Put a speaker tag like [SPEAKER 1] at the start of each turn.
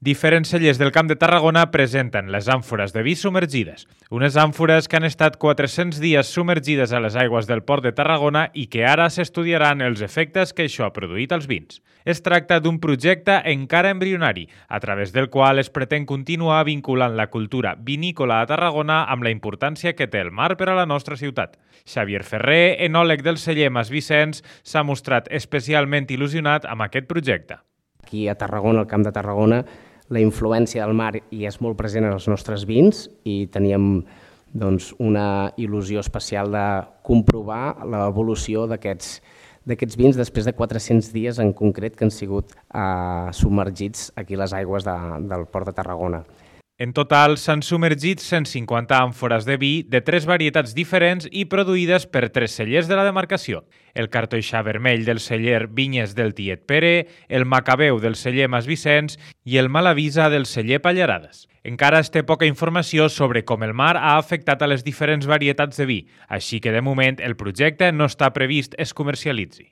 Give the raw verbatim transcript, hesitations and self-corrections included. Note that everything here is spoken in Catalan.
[SPEAKER 1] Diferents cellers del Camp de Tarragona presenten les àmfores de vi submergides, unes àmfores que han estat quatre-cents dies submergides a les aigües del Port de Tarragona i que ara s'estudiaran els efectes que això ha produït als vins. Es tracta d'un projecte encara embrionari, a través del qual es pretén continuar vinculant la cultura vinícola a Tarragona amb la importància que té el mar per a la nostra ciutat. Xavier Ferrer, enòleg del celler Mas Vicenç, s'ha mostrat especialment il·lusionat amb aquest projecte.
[SPEAKER 2] Aquí a Tarragona, al Camp de Tarragona, la influència del mar hi és molt present en els nostres vins i teníem doncs, una il·lusió especial de comprovar l'evolució d'aquests d'aquests vins després de quatre-cents dies en concret que han sigut eh, submergits aquí a les aigües de, del Port de Tarragona.
[SPEAKER 1] En total, s'han submergit cent cinquanta àmfores de vi de tres varietats diferents i produïdes per tres cellers de la demarcació. El cartoixà vermell del celler Vinyes del Tiet Pere, el macabeu del celler Mas Vicenç i el malavisa del celler Pallarades. Encara es té poca informació sobre com el mar ha afectat a les diferents varietats de vi, així que de moment el projecte no està previst es comercialitzi.